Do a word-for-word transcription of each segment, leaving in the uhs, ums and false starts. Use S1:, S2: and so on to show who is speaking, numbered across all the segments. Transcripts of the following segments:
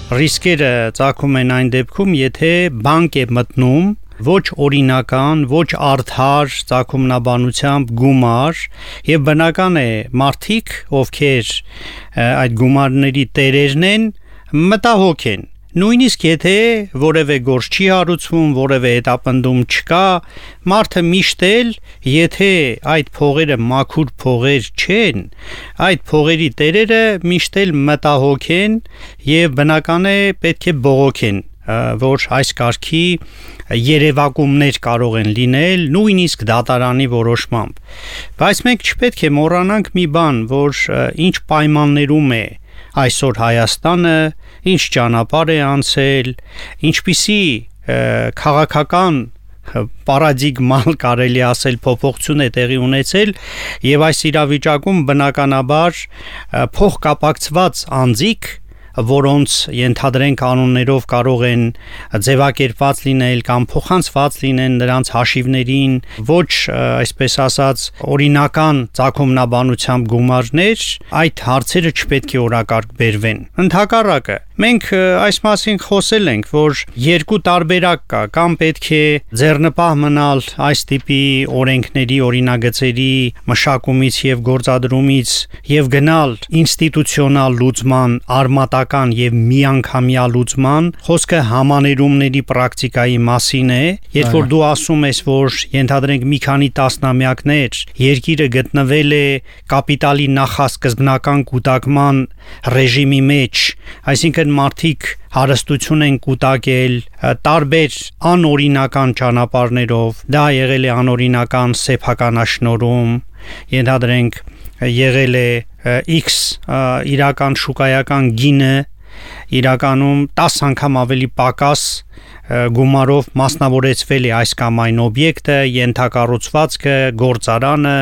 S1: Ռիսկերը ծագում են այն դեպքում, եթե բանկ է մտնում ոչ օրինական, ոչ արդար ծագումնաբանությամբ գումար եւ բնական է մարդիկ, ովքեր այդ գումարների տերերն են, մտահոգ են։ Նույնիսկ եթե որևէ գործ չի հարուցվում, որևէ հետապնդում չկա, մարդը միշտ էլ, եթե այդ փողերը մաքուր փողեր չեն, այդ փողերի տերերը միշտ էլ մտահոգ են եւ բնական է պետք է բողոքեն, որ այս կարգի երևակումներ կարող են լինել նույնիսկ դատարանի որոշմամբ։ Բայց մենք չպետք է մոռանանք մի բան, որ ինչ պայմաններում է այսօր Հայաստանը, ինչ ճանապարհ է անցել, ինչպիսի քաղաքական պարադիգմալ կարելի ասել փոփոխություն է տեղի ունեցել եւ այս իրավիճակում բնականաբար փոխկապակցված անձիկ, որոնց ենթադրենք անուններով կարող են ձևակերպված լինել կամ փոխանցված լինեն նրանց հաշիվներին ոչ այսպես ասած օրինական ծագումնաբանությամբ գումարներ, այդ հարցերը չպետք է օրակարգ բերվեն։ Ընդհակառակը մենք այս մասին խոսել ենք, որ երկու տարբերակ կա, կամ պետք է ձեռնպահ մնալ այս տիպի օրենքների, օրինագծերի մշակումից եւ գործադրումից եւ գնալ ինստիտուցիոնալ լուծման արմատական եւ միանգամյա լուծման, խոսքը համաներումների պրակտիկայի մասին է, երբ որ դու ասում ես, որ ենթադրենք մի քանի տասնամյակներ երկիրը գտնվել է կապիտալի նախասկզբնական կուտակման ռեժիմի մեջ, այսինքն մարդիկ հարստություն են կուտակել տարբեր անօրինական ճանապարհներով, դա եղել է անօրինական սեփականաշնորհում, ենթադրենք եղել է X իրական շուկայական գինը իրականում տասը անգամ ավելի պակաս գումարով մասնավորեցվել է այս կամ այն օբյեկտը, ենթակառուցվածքը, գործարանը,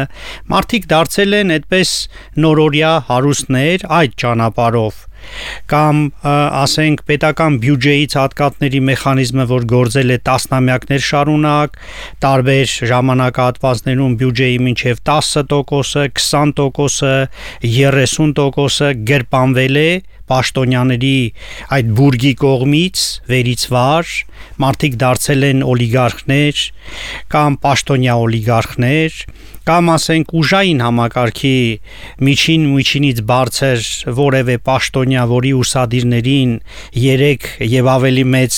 S1: մարդիկ դարձել են այդպես նորօրյա հարուստներ այդ ճանապարհով կամ ասենք պետական բյուջեից հատկատների մեխանիզմը, որ գործել է տասնամյակներ շարունակ, տարբեր ժամանակահատվածներում բյուջեի մինչև տասը տոկոսը, քսան տոկոսը, երեսուն տոկոսը գրպանվել է պաշտոնյաների այդ բուրգի կողմից վերից վար, մարդիկ դարձել են օլիգարխներ կամ պաշտոնյա օլիգարխներ կամ ասենք ուժային համակարգի միջին միջինից բարձր որևէ պաշտոնյա, որի ուսադիրներին երեք եւ ավելի մեծ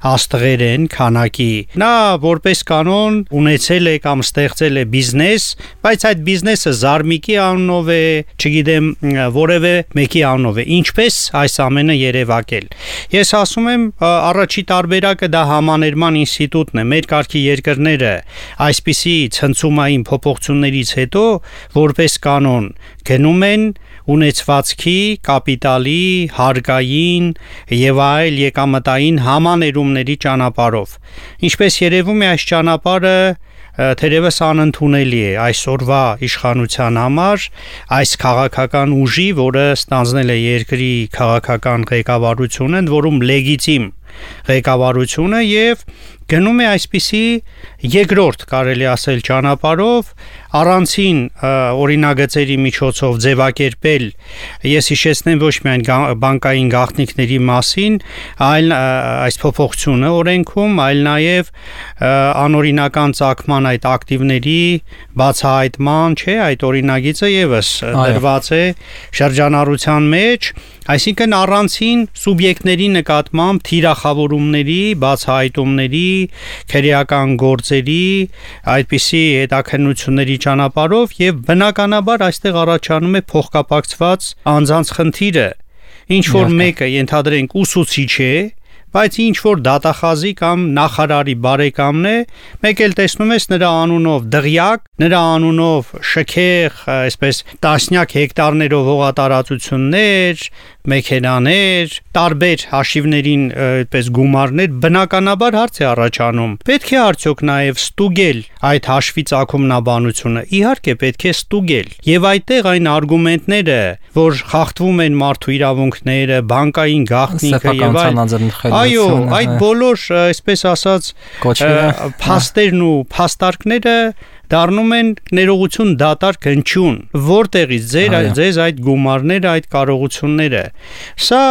S1: աստղեր են քանակի, նա որպես կանոն ունեցել է կամ ստեղծել է բիզնես, բայց այդ բիզնեսը զարմիկի անունով է, չգիտեմ, որևէ մեկի անունով է, ինչպես այս ամենը երևակել։ Ես ասում եմ, առաջի տարբերակը դա համաներման ինստիտուտն է, մեր կարգի երկրները այսպիսի ցնցումային փոփոխություններից հետո որպես կանոն գնում են ունեցվածքի, կապիտալի, հարկային եւ այլ եկամտային համաներումների ճանապարհով։ Ինչպես երևում է, այս ճանապարհը թերևս անընդունելի է այսօրվա իշխանության համար, այս քաղաքական ուժի, որը ստանձնել է երկրի քաղաքական ղեկավարությունը, որում լեգիտիմ ղեկավարությունը եւ գնում է այսպիսի երկրորդ կարելի ասել ճանապարհով առանցին օրինագծերի միջոցով ձևակերպել, ես հիշեցնեմ ոչ միայն բանկային գաղտնիքների մասին, այլ այս փոփոխությունը օրենքում, այլ նաև անօրինական ծագման այդ ակտիվների բացահայտման, չէ, այդ օրինագիծը եւս դրված է շրջանառության մեջ, այսինքն առանցին սուբյեկտների նկատմամբ թիրախավորումների, բացահայտումների, քրեական գործերի, այդպիսի հետաքննությունների ճանապարհով եւ բնականաբար այստեղ առաջանում է փոխկապակցված անձանց խնդիրը, ինչ որ մեկը ենթադրենք ուսուցիչ է, բայց ինչ որ դատախազի կամ նախարարի բարեկամն է, մեկ էլ տեսնում ես նրա անունով դղյակ, նրա անունով շքեղ, այսպես տասնյակ հեկտարներով հողատարածություններ, մեքենաներ, տարբեր հաշիվներին այդպես գումարներ, բնականաբար հարց է առաջանում։ Պետք է արդյոք նաև ստուգել այդ հաշվի ծագումնաբանությունը։ Իհարկե պետք է ստուգել։ Եվ այդտեղ այն արգումենտները, որ խախտվում են մարդու իրավունքները, բանկային գաղտնիքը եւ այլն, այո, այդ բոլոր, այսպես ասած, փաստերն ու փաստարկները դառնում են ներողություն դատարկ հնչյուն, որտեղից ձեր ձեզ այդ գումարները, այդ կարողությունները։ Սա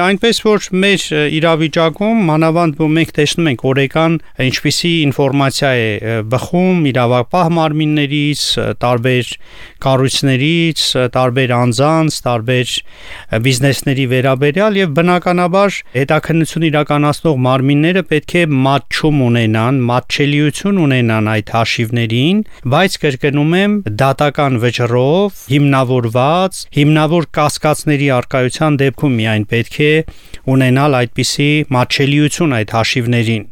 S1: այնպես որ մեր իրավիճակում մանավանդ մենք տեսնում ենք օրեկան ինչպիսի ինֆորմացիա է բխում իրավապահ մարմիններից, տարբեր կառույցներից, տարբեր անձանց, տարբեր բիզնեսների վերաբերյալ եւ բնականաբար հետաքննություն իրականացնող մարմինները պետք է մատչում ունենան, մատչելիություն ունենան այդ հաշիվներին, բայց կրկնում եմ դատական վճռով հիմնավորված, հիմնավոր կասկածների առկայության դեպքում միայն պետք է ունենալ այդպիսի մատչելիություն այդ հաշիվներին։